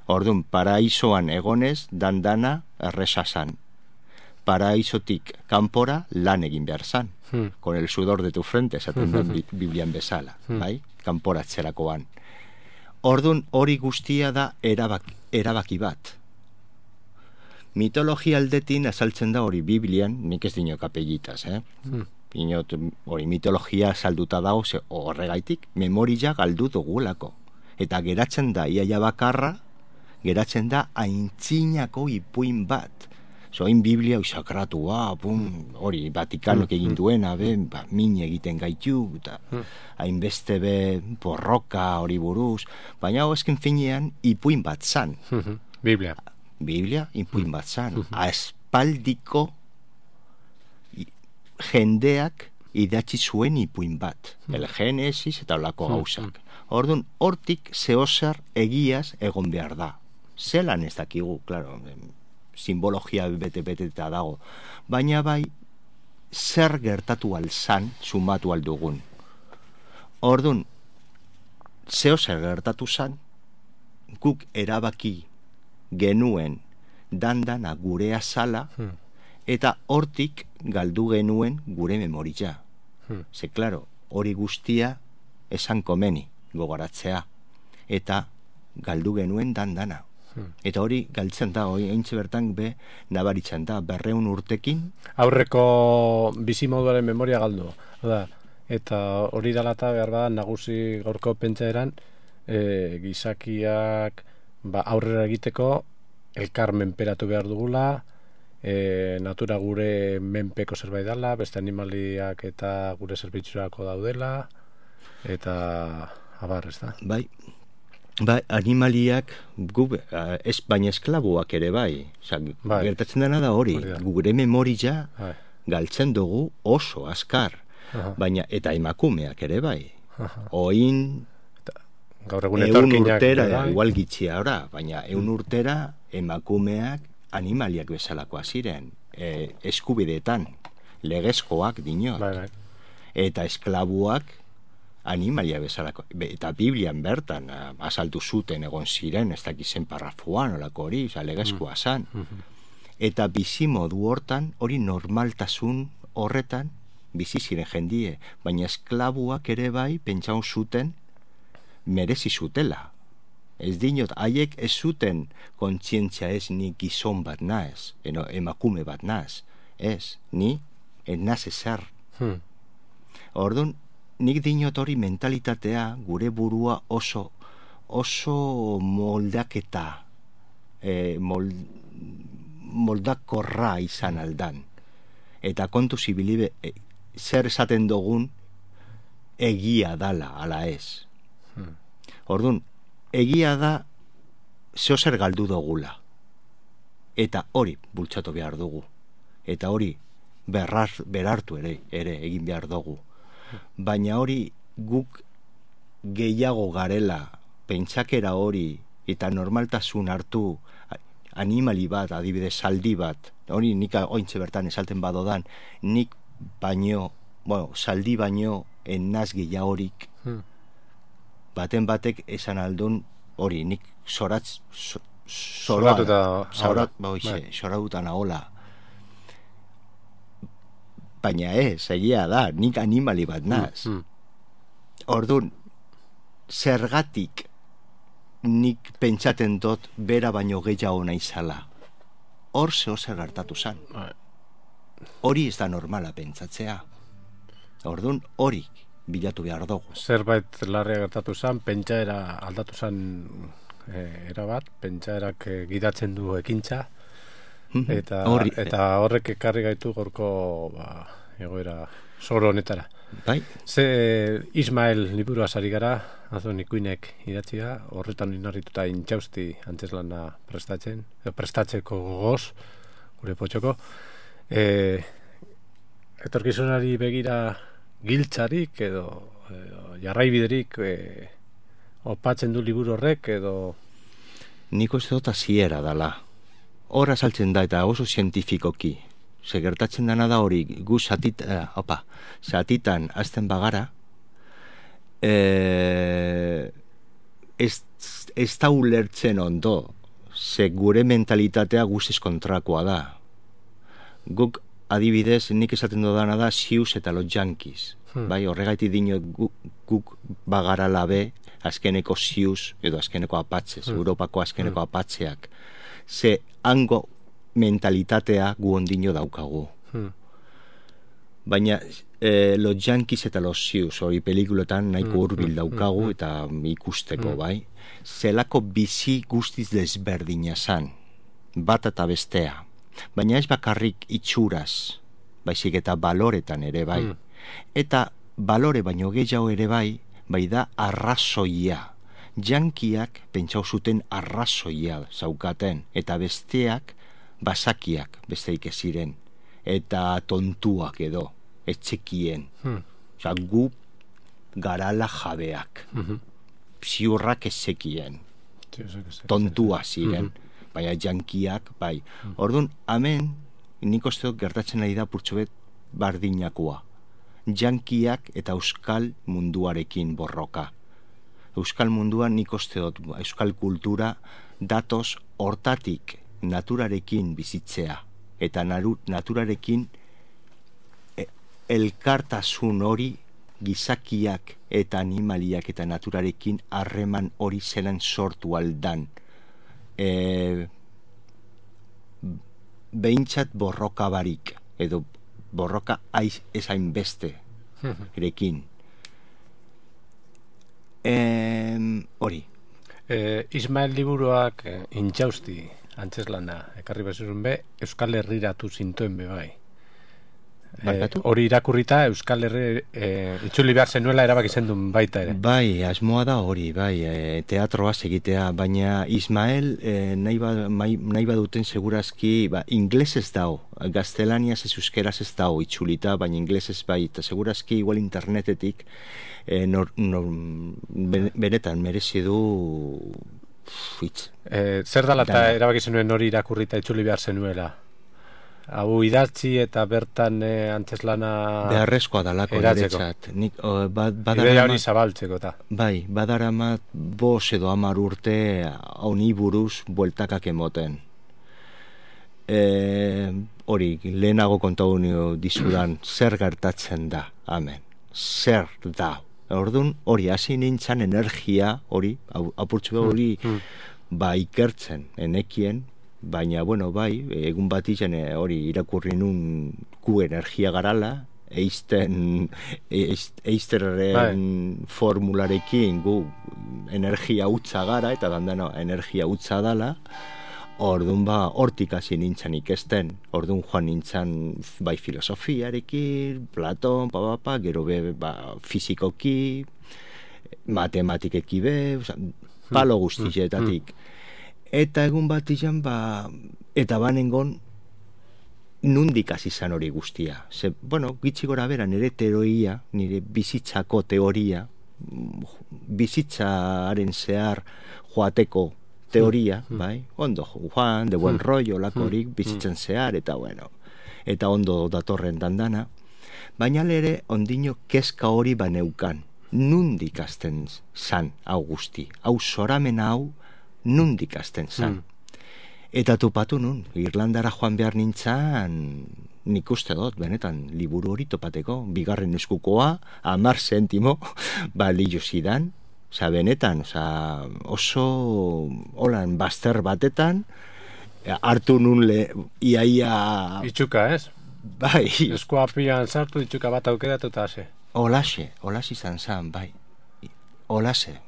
Orduan, paraisoan egonez, dandana erresazan. Paraisotik kanpora lan egin behar zan. Con el sudor de tu frente, esaten den Biblian bezala, bai? Kanporatzerakoan. Orduan, hori guztia da erabaki bat. Mitologia aldetin azaltzen da hori Biblian, nik ez dino kapellitas, Inot, hori mitologia salduta dago, horregaitik, memoria galdu dugulako. Eta geratzen da, iaia bakarra, geratzen da aintzinako ipuin bat. Zoin Biblia sakratua, hori, Vatikanok egin duena, min egiten gaitu, eta hainbeste porroka hori buruz, baina esken finean ipuin bat zan. Biblia, ipuin bat zan. Aspaldiko jendeak idatzi zuen ipuin bat. El Genesis eta olako gauzak. Orduan, hortik zehozer egiaz egon behar da. Zelan ez dakigu, klaro, simbologia bete-bete eta dago. Baina bai, zer gertatu alzan, sumatu aldugun. Orduan, zehozer gertatu zan, guk erabaki genuen dandana gure azala, eta hortik galdu genuen gure memoria. Ze, klaro, hori guztia esan komeni gogoratzea. Eta galdu genuen dana. Eta hori galtzen da, ointxe bertan nabaritzen da, 200 urtekin. Aurreko bizimoduaren memoria galdu. Eta hori dela eta behar bada nagusi gaurko pentsaeran, gizakiak aurrera egiteko elkar menperatu behar dugula, natura gure menpeko zerbait dela, beste animaliak eta gure zerbitzurako daudela, eta abar, ez da? Bai, animaliak, baina esklabuak ere bai. Gertatzen dena da hori, gure memoria galtzen dugu oso azkar, baina eta emakumeak ere bai. Oin, gaur egun 100 urtera, igual gitxia ora, baina 100 urtera emakumeak animaliak bezalakoa ziren, eskubideetan, legezkoak dinot. Eta esklabuak animalia bezalako, eta Biblian bertan asaltu zuten egon ziren, ez dakizen parrafuan olako hori, legezkoa zan. Eta bizimodu hortan, hori normaltasun horretan bizi ziren jendie, baina esklabuak ere bai pentsaun zuten merezi zutela. Ez dinot, haiek ez zuten kontzientzia ez ni gizon bat naz, emakume bat naz, ez, ni naz ezer. Orduan, nik dinot hori mentalitatea gure burua oso moldaketa, moldakorra izan aldan. Eta kontu zibili zer esaten dugun egia dala, ala ez. Orduan, egia da zeozer galdu dugula. Eta hori bultzatu behar dugu. Eta hori berartu ere egin behar dugu. Baina hori guk gehiago garela, pentsakera hori, eta normaltasun hartu animali bat, adibidez saldi bat, hori nik ointxe bertan esalten badodan, nik baino, saldi baino ennaz gehiagorik, baten batek esan aldun hori, nik zoratuta nahola. Baina egia da, nik animali bat naz. Orduan, zergatik nik pentsaten dut bera baino gehiago naizala. Hor zehozer gertatu zan. Hori ez da normala pentsatzea. Orduan, hori bilatu behar dugu. Zerbait larria gertatu zan, pentsaera aldatu zan erabat, pentsaerak gidatzen du ekintza, eta horrek ekarri gaitu gorko egoera zoro honetara. Bai. Ze Ismael liburu azari gara, azon ikuinek idatzia, horretan inarrituta intxausti antzeslana prestatzeko gogoz, gure potxoko. Etorkizunari begira giltzarik edo jarraibiderik opatzen du liburu horrek edo... Niko ez dut hasiera dala. Hor azaltzen da eta oso zientifikoki. Gertatzen dena da hori gu zatitan azten bagara, ez da ulertzen ondo, ze gure mentalitatea guztiz kontrakoa da. Guk adibidez, nik esaten dudana da Sius eta los Yankees. Bai, horregaiti dino guk bagara labe azkeneko Sius edo azkeneko Apaches, Europako azkeneko Apatxeak. Ze hango mentalitatea gu ondino daukagu. Baina los Yankees eta los Sius hori pelikulotan nahiko hurbil daukagu eta ikusteko, bai. Zelako bizi guztiz desberdina zan, bat eta bestea. Baina ez bakarrik itxuraz, baizik eta baloretan ere bai. Eta balore baino gehiago ere bai da arrazoia. Jankiak pentsau zuten arrazoia zaukaten, eta besteak basakiak besteik ez ziren, eta tontuak edo, etxekien. Osa, gu garala jabeak. Ziurrak ezekien. Tontua ziren. Baina jankiak, bai. Orduan, hemen, nik uste gertatzen ari da purtsobet bardinakoa. Jankiak eta euskal munduarekin borroka. Euskal munduan nik uste dut, euskal kultura datoz hortatik naturarekin bizitzea. Eta naturarekin elkartasun hori gizakiak eta animaliak eta naturarekin harreman hori zelan sortu aldan. Behintzat borroka barik, edo borroka ezain beste erekin. Hori. Ismael liburuak intxausti antzeslana, ekarri bezurun be, Euskal Herriratu zintuen be bai. Hori irakurrita Euskal Herri itzuli behar zenuela erabaki zendun baita ere. Bai, asmoa da hori, bai, teatroa egitea, baina Ismael nahi baduten segurazki, inglesez dao, gaztelaniaz ez euskeraz ez dao itzulita, baina inglesez bai, eta segurazki igual internetetik benetan merezi du zer dala eta erabaki zenuen hori irakurrita itzuli behar zenuela? Hau idatzi eta bertan antzeslana beharrezkoa dalako niretzat. Ideia hori zabaltzeko eta. Bai, badaramat 5 edo 10 urte honi buruz bueltakak emoten. Hori, lehenago kontatu dizudan zer gertatzen da, amen. Zer da. Orduan, hori, hasi nintzen energia, hori, apurtzu hori, ikertzen, enekien, baina, bueno, bai, egun bat izan hori irakurri nun gu energia garala, Eisterren formularekin gu energia utza gara, eta dandano energia utza dala, orduan hortik hasi nintzen ikesten, orduan joan nintzen bai filosofiarekin, Platon, gero fizikoki, matematikeki palo guztietatik. Eta egun bat izan, eta banengon nundik hasi izan hori guztia. Gitzi gora bera, nire teoria, nire bizitzako teoria, bizitzaren zehar joateko teoria, bai? Ondo joan, de buen rollo, lakorik, bizitzen zehar, eta bueno, eta ondo datorren dandana. Baina lere, ondino kezka hori baneukan. Nundik hasten zan, hau guzti. Hau zoramen hau, nundik hasten zan. Eta topatu nun, Irlandara joan behar nintzen, nik uste dut, benetan, liburu hori topateko, 2. eskukoa, 10 zentimo, balio zidan, benetan, oso holan bazter batetan, hartu nun iaia... Itxuka, ez? Bai. Eskua pilan sartu, itxuka bat aukeratu eta hase. Olaxe izan zan, bai. Olaxe.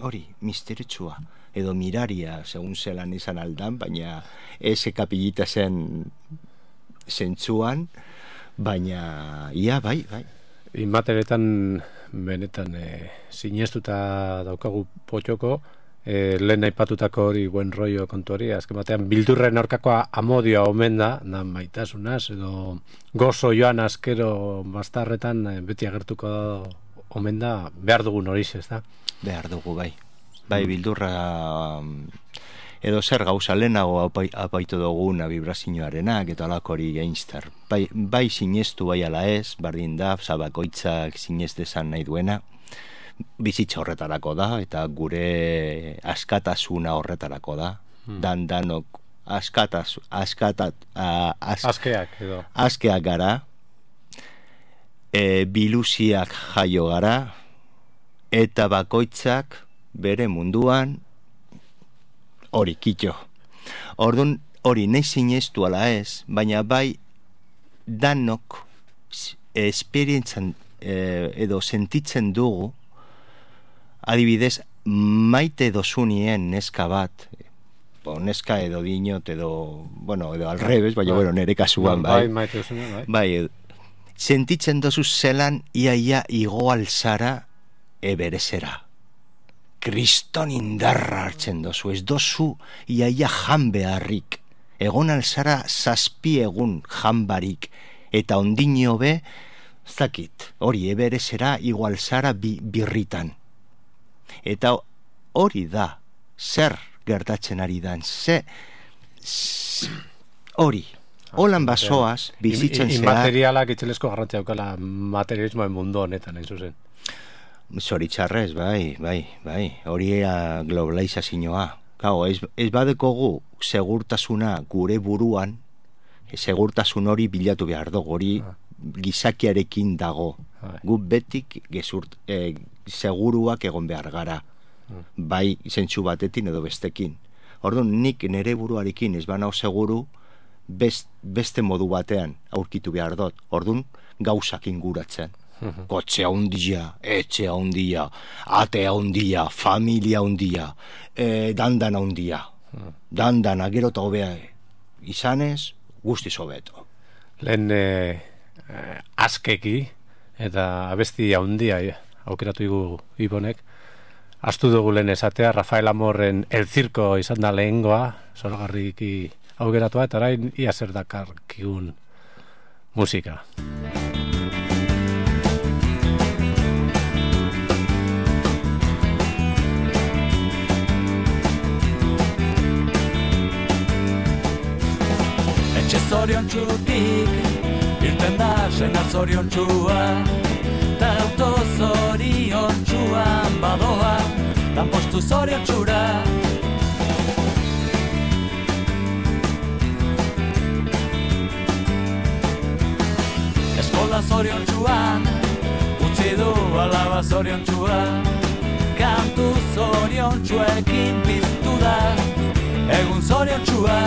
Hori, misteritsua, edo miraria, segun zelan izan aldan, baina eze kapilita zen zentzuan, baina, ia, bai. Inmateretan, benetan, sinestuta daukagu potxoko, lehen aipatutako hori buen rollo kontu hori, azken batean bildurren aurkakoa amodioa omen da, maitasunaz, edo gozo joan askero bastarretan beti agertuko omen da, behar dugun hori ez da? Behar dugu, bai. Bai, bildurra edo zer gauza lehenago apaitu duguna vibrazioarenak eta alako hori Einstein. Bai sinestu bai ala ez, bardin da, bakoitzak sinestezan nahi duena, bizitza horretarako da, eta gure askatasuna horretarako da. Danok askeak gara, biluziak jaio gara, eta bakoitzak bere munduan hori kitxo. Orduan hori nahi sinestu ala ez, baina bai danok esperientzan edo sentitzen dugu, adibidez, maite dozunien neska bat, neska edo dinot edo, bueno, edo al revés, baina nere kasuan, bai. Maite dozunien, bai. Bai, sentitzen dozu zelan iaia igo alzara eberezera. Kriston indarra hartzen dozu, ez dozu iaia jan beharrik. Egon alzara 7 egun jan barik, eta ondino be, zakit, hori eberezera igo alzara birritan. Eta hori da, zer gertatzen ari dan, hori. Holan basoaz, bizitzen zehar... Inmaterialak itxelesko garrantzia daukala materialismoen mundu honetan, hain zuzen. Zoritxarrez, bai. Hori globalizazioa. Kago, ez badekogu segurtasuna gure buruan, segurtasun hori bilatu behar dugu, hori gizakiarekin dago. Gu betik seguruak egon behar gara. Bai zentsu batetin edo bestekin. Orduan, nik nere buruarekin ez banao seguru, beste modu batean aurkitu behar dut. Orduan, gauzak inguratzen. Kotxe handia, etxe handia, ate handia, familia handia, dandan handia. Dandana, gero eta hobea izanez, guztiz hobeto. Lehen askeki eta abesti handia aukeratu igu Ibonek. Astu dugu lehen esatea, Rafael Amorren El Circo izan da lehengoa, zoragarriki aukeratua, eta orain ia zer dakarkigun musika. Etxe zoriontsutik irten da senar zoriontsua, ta auto zoriontsuan badoa, lanpostu zoriontsura. Eskola zoriontsuan utzi du alaba zoriontsua, kantu zoriontsuekin piztu da egun zoriontsua.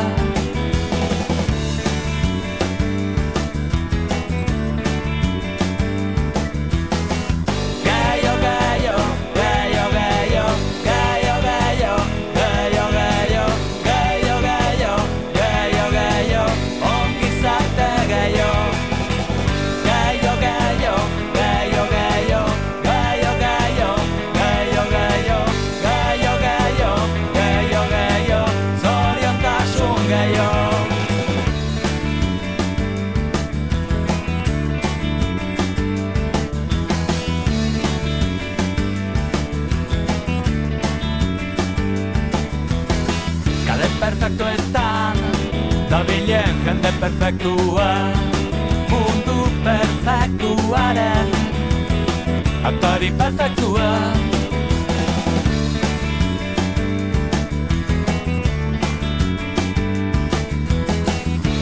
Perfektuetan dabilen jende perfektua, mundu perfektuaren aktari perfektua.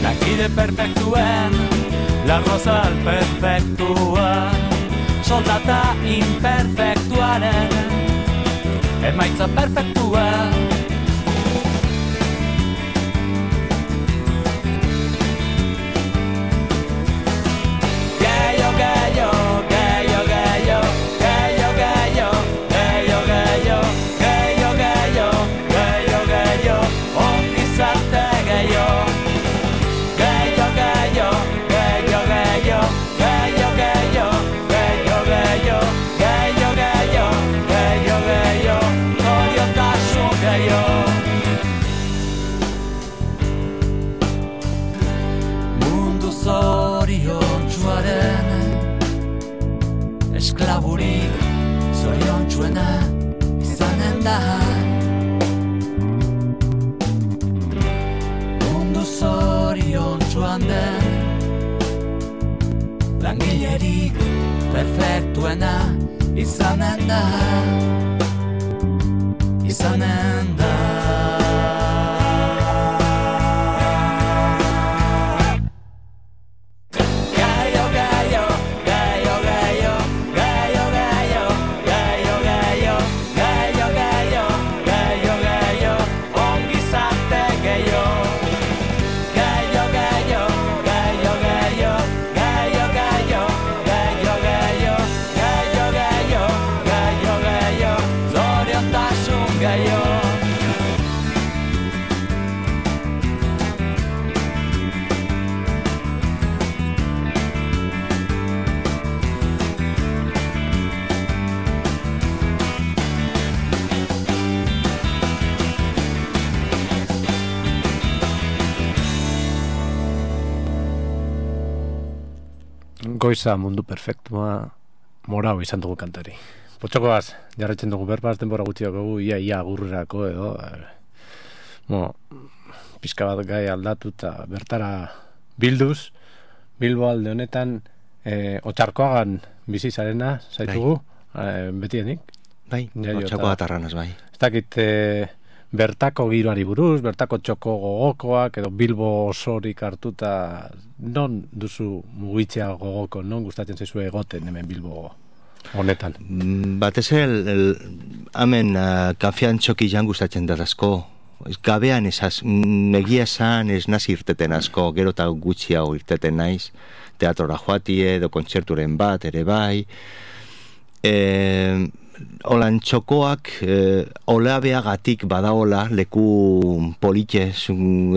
Lankide perfektuen larrozal perfektua, soldata imperfektuaren emaitza perfektua. Esklaburik zoriontsuena izanen da, mundu zoriontsuan den langilerik perfektuena izanen da, izanen da. Goiza mundu perfektua morau izan dugu kantari. Potxokoaz, jarretzen dugu berbaz denbora gutxiak dugu, ia agurrerako edo pizka bat gai aldatu eta bertara bilduz, Bilbo alde honetan Otxarkoagan bizi zarena zaitugu, betienik? Bai, Otxarkoa atarranaz, bai. Ez dakit bertako giroari buruz, bertako txoko gogokoak, edo Bilbo osorik hartuta, non duzu mugitzea gogoko, non gustatzen zaizu egoten hemen Bilbo honetan? Batez hemen kafean txoki jan gustatzen da asko. Gabean egia esan ez naz irteten asko, gero eta gutxiago irteten naiz, teatrora joatie, edo kontzerturen bat, ere bai. Olan txokoak olabeagatik badaola leku politxe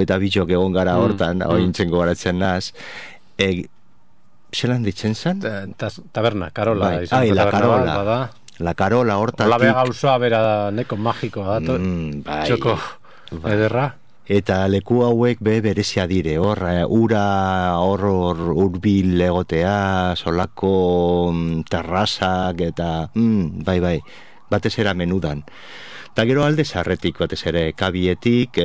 eta bitxok egon gara hortan, ointzen gogaratzen naz. Zelan ditzen zen? Taberna, Karola. La Karola. La Karola hortatik. Olabea gauzoa bera neko magikoa dato, txoko ederra. Eta leku hauek berezia dire, ura hor urbil egotea, solako terrazak eta bai, batez era menudan. Eta gero alde zarretik, batez ere kabietik,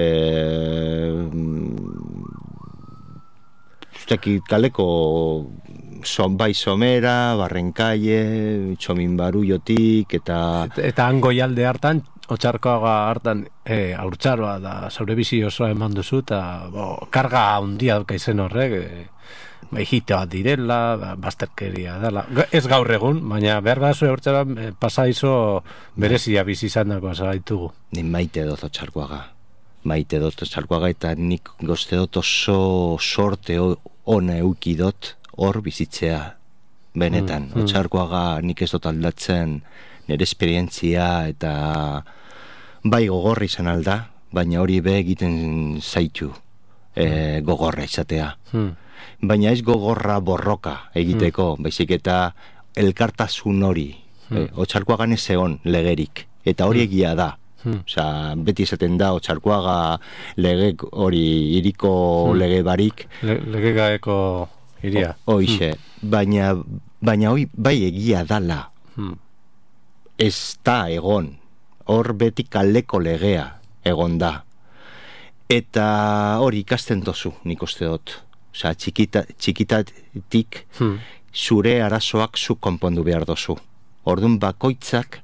kaleko bai somera, barrenkaie, txomin baruiotik, eta hango jalde hartan, Otxarkoaga hartan haurtzaroa da zaure bizi osoa eman duzu, eta karga handia dauka izen horrek, hitoa direla, bazterkeria dela. Ez gaur egun, baina behar bat zure haurtzaroa pasaizo berezia bizi izan dagoa zaitugu. Ni maite dut Otxarkoaga, eta nik gozte dut oso sorte ona eukidot hor bizitzea. Benetan, Otxarkoaga nik ez dut aldatzen nire esperientzia eta bai gogorra izan alda, baina hori egiten zaitu gogorra izatea. Baina ez gogorra borroka egiteko, baizik eta elkartasun hori. Otxarkoagan ez egon legerik, eta hori egia da. Osa, beti izaten da Otxarkoaga lege hori iriko lege barik. Lege gaeko iria. Hoixe, baina hori bai egia dala. Ez da egon, hor beti kaleko legea egon da. Eta hori ikasten dozu, nik uste dut. Osa, txikitatik zure arazoak zu konpondu behar dozu. Orduan bakoitzak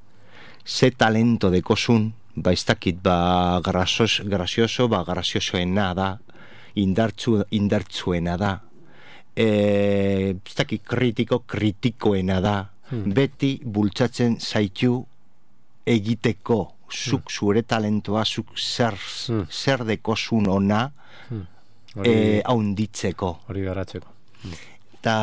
ze talento dekozun, ez dakit grazioso, graziosoena da, indartzuena da, ez dakit kritikoena da, beti bultzatzen zaitu egiteko, zuk zure talentoa, zuk zer dekozun ona haunditzeko. Hori garatzeko. Eta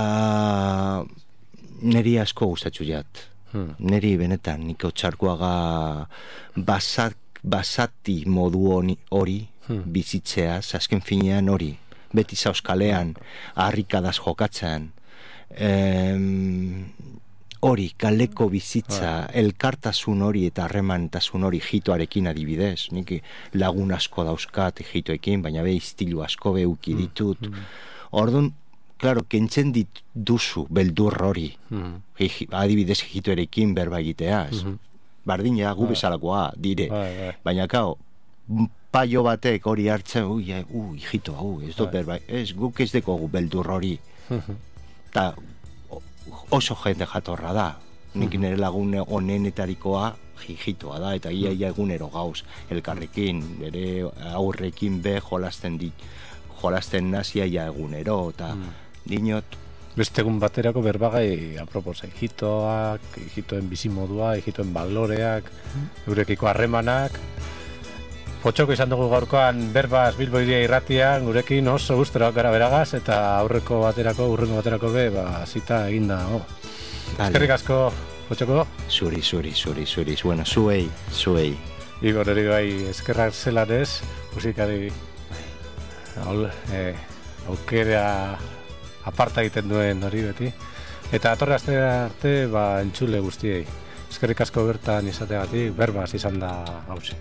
niri asko gustatzu jat. Niri benetan, nik Otxarkoaga basati modu hori bizitzea, azken finean hori, beti zauzkalean, harrikadaz jokatzen, hori, kaleko bizitza, elkartasun hori eta harremantasun hori hitoarekin adibidez. Nik lagun asko dauzkat hitoekin, baina iztilu asko uki ditut. Orduan, klaro, kentzen duzu beldur hori. Adibidez hitoarekin berba egitea. Bardina, gu bezalakoa, dire. Baina, kao, paio batek hori hartzen, hitoa, ez dut berba, guk ez dekogu beldur hori. Eta oso jende jatorra da. Nik nire lagun onenetarikoa hitoa da, eta ia egunero gauz elkarrekin, bere aurrekin jolasten nazia ia egunero, eta dinot. Beste egun baterako berbagai aproposa, hitoen bizimodua, hitoen baloreak, eurekiko harremanak. Potxoko izan dugu gaurkoan berbaz Bilbo Hiria irratian, gurekin oso gustora gara beragaz, eta urrengo baterako zita eginda. Eskerrik asko, Potxoko? Zuri, bueno, zuei. Igor eri bai eskerrak zelanez, musikari aukera aparta egiten duen hori beti. Eta atorre aste arte entzule guztiei. Eskerrik asko bertan izateagatik, berbaz izan da hauze.